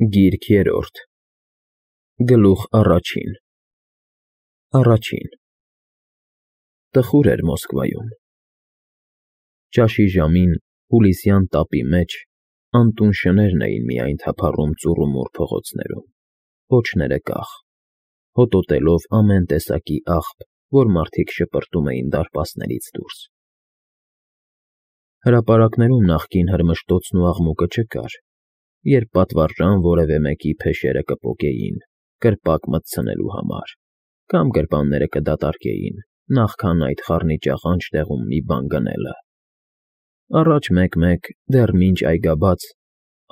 Գիրք երրորդ Գլուխ առաջին Տխուր էր Մոսկվայում։ Ճաշի ժամին հուլիսյան տապի մեջ անտուն շներն էին միայն թափառում ծուռումուռ փողոցներում, պոչները կախ, հոտոտելով ամեն տեսակի աղբ, որ մարդիկ շպրտում էին դարպասներից դուրս։ Հրապարակներում նախկին հրմշտոցն ու աղմուկը չկար, երբ պատվարժան որևէ մեկի փեշերը կպոկեին, կրպակ մտցնելու համար, կամ գրպանները կդատարկեին, նախքան այդ խառնիճ աղանջ տեղում մի բան գնելը։ Առաջ մեկ-մեկ, դեռ մինչ այգաբաց,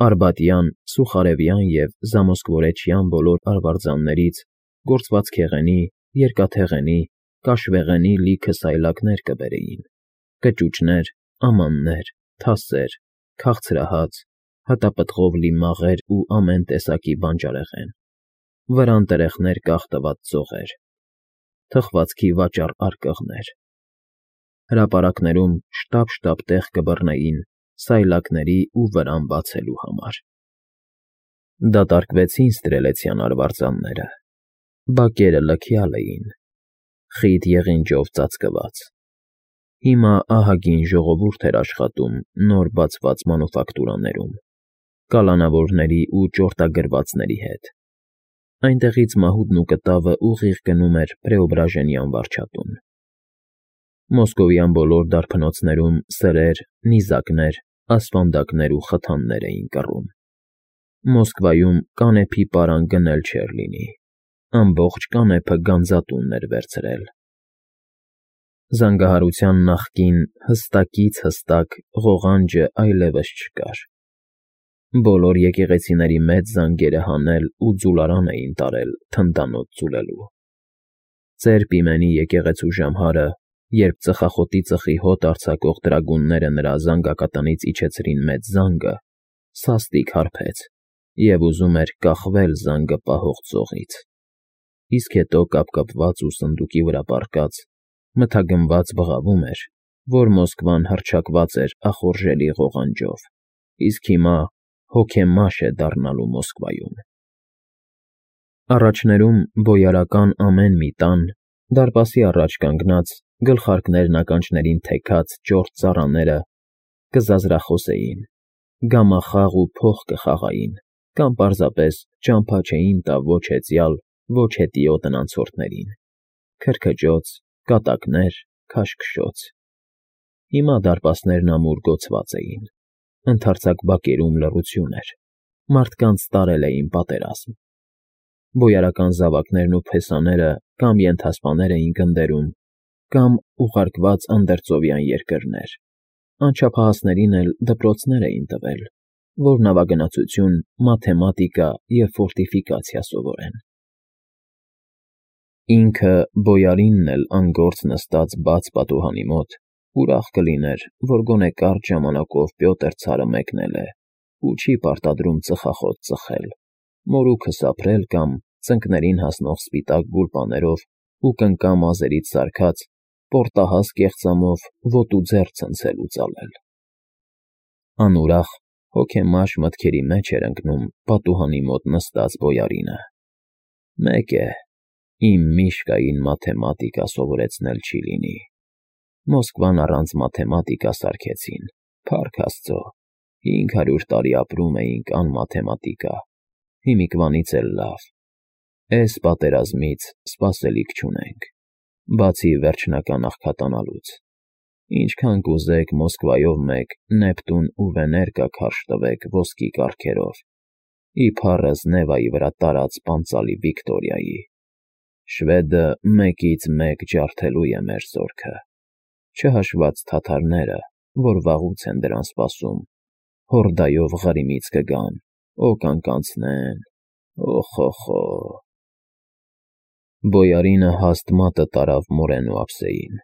արբատյան, սուխարևյան և զամոսկվորեչյան բոլոր արվարձաններից գործվածքեղենի, երկաթեղենի, կաշվեղենի լիքը սայլակներ կբերեին, կճուճներ, ամաններ, թասեր, քաղցրահաց, հատապտղով լի մաղեր ու ամեն տեսակի բանջարեղեն, վրան տրեխներ կախ տված ձողեր, թխվածքի վաճառ արկղներ։ Հրապարակներում շտապ տեղ կբռնեին սայլակների ու վրան բացելու համար։ Դատարկվեցին ստրելեցյան արվարձանները, բակերը լքյալ էին, խիտ եղինջով ծածկված։ Հիմա ահագին ժողովուրդ էր աշխատում նոր բացված մանուֆակտուրաներում, կալանավորների ու ճորտագրվածների հետ։ Այնտեղից մահուդն ու կտավը ուղիղ գնում էր Պրեոբրաժենյան վարչատուն։ Մոսկովյան բոլոր դարբնոցներում սրեր, նիզակներ, ասպանդակներ ու խթաններ էին կռում։ Մոսկվայում կանեփի պարան գնել չէր լինի, ամբողջ կանեփը գանձատունն էր վերցրել։ Զանգահարության նախկին հստակից հստակ ղողանջը այլևս չկար։ Բոլոր եկեղեցիների մեծ զանգերը հանել ու ձուլարան էին տարել թնդանոթ ձուլելու։ Ծեր Պիմենի եկեղեցու ժամհարը, երբ ծխախոտի ծխի հոտ արձակող տրագունները նրա զանգակատնից իջեցրին մեծ զանգը, սաստիկ հարբեց և ուզում էր կախվել զանգը պահող ծողից, իսկ հետո կապկպված ու սնդուկի վրա պառկած, մթագնված բղավում էր, որ Մոսկվան հռչակված էր ախորժելի ղողանջով, իսկ հիմա հոգեմաշ է դառնալու Մոսկվայում։ Առաջներում բոյարական ամեն մի տան, դարպասի առաջ կանգնած, գլխարկներն ականջներին թեքած ճորտ ծառաները կզազրախոսեին, գամախաղ ու փող կխաղային, կամ պարզապես ճամփա չէին տա ոչ հեծյալ, ոչ հետիո տնանցորդներին, քրքջոց, կատակներ, քաշքշոց։ Հիմա դարպասներն ամուր գոցված էին, ընդարձակ բակերում լռություն էր, մարդկանց տարել էին պատերազմ։ Բոյարական զավակներն ու փեսաները կամ ենթասպաներ էին գնդերում, կամ ուղարկված անդերձովյան երկրներ, անչափահասներին էլ դպրոցներ էին տվել, որ նավագնացություն, մաթեմատիկա և ֆորտիֆիկացիա սովորեն։ Ինքը բոյարինն էլ անգործ նստած բաց պատուհանի մոտ, ուրախ կլիներ, որ գոնե կարճ ժամանակով Պյոտր ցարը մեկնել է ու չի պարտադրում ծխախոտ ծխել, մորուքը սափրել կամ ծնկներին հասնող սպիտակ գուլպաներով ու կնկա մազերից սարքած պորտահաս կեղծամով ոտու ձեռ ցնցել ու ծալել։ Անուրախ, հոգեմաշ մտքերի մեջ էր ընկնում պատուհանի մոտ նստած բոյարինը։ Մեկ է, իմ Միշկային մաթեմատիկա սովորեցնել չի լինի։ Մոսկվան առանց մաթեմատիկա սարքեցին, փառք Աստծո, 500 տարի ապրում էինք անմաթեմատիկա, հիմիկվանից էլ լավ, էս պատերազմից սպասելիք չունենք, բացի վերջնական աղքատանալուց, ինչքան կուզեք Մոսկվայով մեկ Նեպտուն ու Վեներկա քարշ տվեք ոսկի կառքերով, իբառս Նևայի վրա տարած պանծալի Վիկտորիայի, շվեդը մեկից մեկ ջարդելու է մեր զորքը, չհաշված թաթարները, որ վաղուց են դրան սպասում, հորդայով Ղրիմից կգան, կանկանցնեն, օխ։ Բոյարինը հաստ մատը տարավ մորեն ու ափսեին,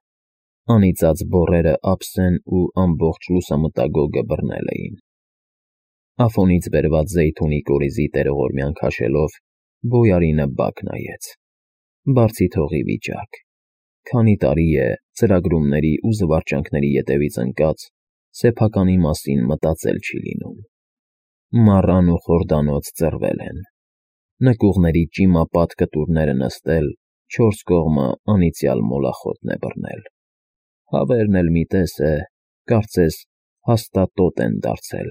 անիծած բոռերը ափսեն ու ամբողջ լուսամտագոգը բռնել էին։ Ափոնից բերված զեյթունի կորիզի տերողորմյան քաշելով, բոյարինը բակ նայեց։ Բարձի թողի վիճակ, քանի տարի է ծրագրումների ու զվարճանքների ետևից ընկած, սեփականի մասին մտածել չի լինում։ Մառան ու խորդանոց ծռվել են, նկուղների ճիմապատ կտուրները նստել, չորս կողմը անիծյալ մոլախոտն է բռնել, հավերն էլ մի տես է, կարծես հաստատոտ են դարձել,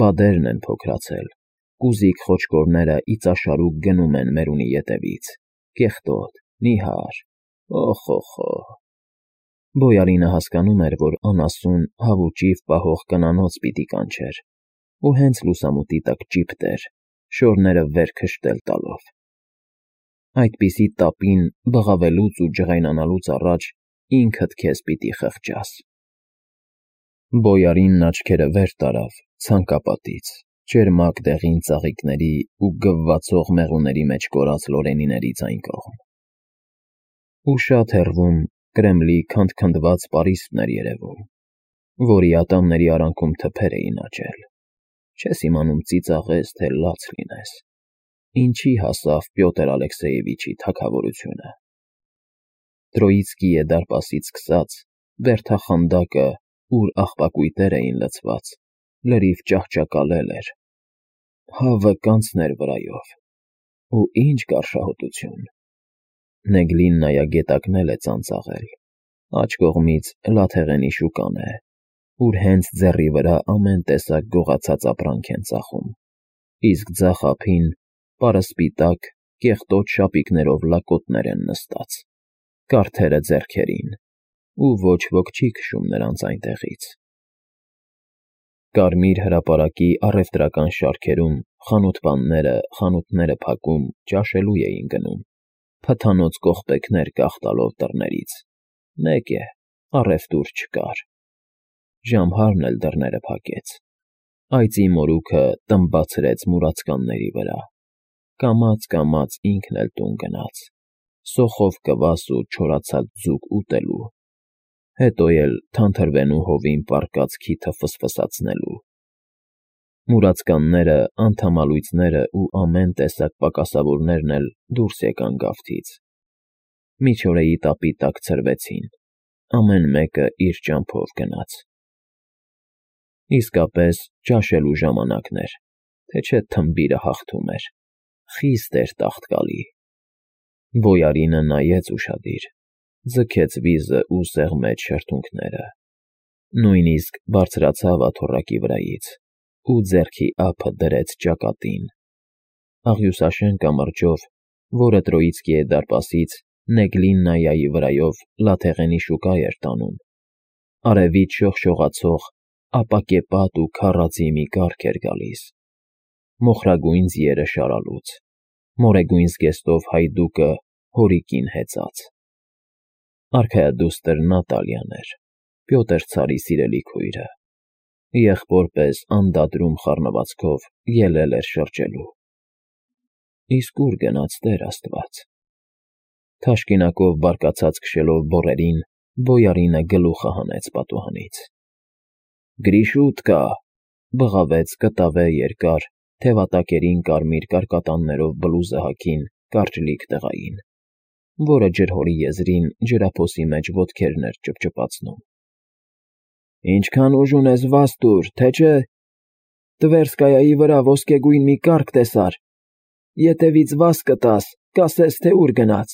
բադերն են փոքրացել, կուզիկ խոչկորները իծաշարուկ գնում են մերունի ետևից, կեղտոտ, նիհար, օխ, Բոյարինը հասկանում էր, որ անասուն հավուճիվ պահող կնանոց պիտի կանչեր, ու հենց լուսամուտի տակ ճիպտեր, շորները վեր քշտել տալով։ Այդպիսի տապին բղավելուց ու ջղայնանալուց առաջ ինքդ քեզ պիտի խղճաս։ Բոյարինն աչքերը վեր տարավ ցանկապատից, ճերմակ դեղին ծաղիկների ու գվվացող մեղուների մեջ կորած լորենիներից այն կողմ։ Ու շատ հեռվում Կրեմլի քանդքնդված պարիսպն էր երևում, որի ատամների արանքում թփեր էին աճել, չես իմանում ծիծաղես, թե լաց լինես, ինչի հասավ Պյոտր Ալեքսեևիչի թագավորությունը։ Տրոիցկիի դարպասից սկսած բերդախանդակը, ուր աղբակույտեր էին լցված, լրիվ ճահճակալել էր, հավը կանցներ վրայով, ու ինչ գարշահոտություն։ Նեգլիննայա գետակն էլ է ծանծաղել, աջ կողմից Լաթեղենի շուկան է, ուր հենց ձեռի վրա ամեն տեսակ գողացած ապրանք են ծախում, իսկ ձախ ափին պարսպիտակ, կեղտոտ շապիկներով լակոտներ են նստած, կարթերը ձեռքերին, ու ոչ ոք չի քշում նրանց այնտեղից։ Կարմիր հրապարակի առևտրական շարքերում խանութպանները խանութները փակում ճաշելու էին գնում, փթանոց կողպեքներ կախտալով դռներից, մեկ է, առևտուր չկար։ Ժամհարն էլ դռները փակեց, այծի մորուքը տմբացրեց մուրացկանների վրա, կամաց ինքն էլ տուն գնաց, սոխով կվաս ու չորացած ձուկ ուտելու, հետո էլ թանթրվենու հովին պառկած քիթը ֆսֆսացնելու։ Մուրացկանները, անդամալույծները ու ամեն տեսակ պակասավորներն էլ դուրս եկան գավթից, միջօրեի տապի տակ ցրվեցին, ամեն մեկը իր ճամփով գնաց։ Իսկապես ճաշելու ժամանակն էր, թե չէ թմբիրը հաղթում էր, խիստ էր տաղտկալի։ Բոյարինը նայեց ուշադիր, ձգեց վիզը ու սեղմեց շրթունքները, նույնիսկ բարձրացավ աթոռակի վրայից ու ձեռքի ափը դրեց ճակատին։ Աղյուսաշեն կամրջով, որը Տրոիցկիի դարպասից Նեգլիննայայի վրայով Լաթեղենի շուկա էր տանում, արևից շողշողացող ապակեպատ ու քառածի մի կառք էր գալիս, մոխրագույն ձիերը շարալուց, մորեգույն զգեստով հայդուկը հորիկին հեծած։ Արքայադուստր Նատալիան էր, Պյոտր ցարի սիրելի քույրը, եղբոր պես անդադրում խառնվածքով ելել էր շրջելու։ Իսկ ուր գնաց Տեր Աստված։ Թաշկինակով բարկացած քշելով բոռերին, Բոյարինը գլուխը հանեց պատուհանից։ Գրիշուտկա, բղավեց կտավե երկար, թևատակերին կարմիր կարկատաններով բլուզը հագին կարճլիկ տղային, որը ջրհորի եզրին ջրափոսի մեջ ոտքերն էր ճպճպացնում։ Ինչքան ուժ ունես, վաս տուր, թե չէ։ Տվերսկայայի վրա ոսկեգույն մի կառք տեսար, ետևից վաս կտաս, կասես, թե ուր գնաց։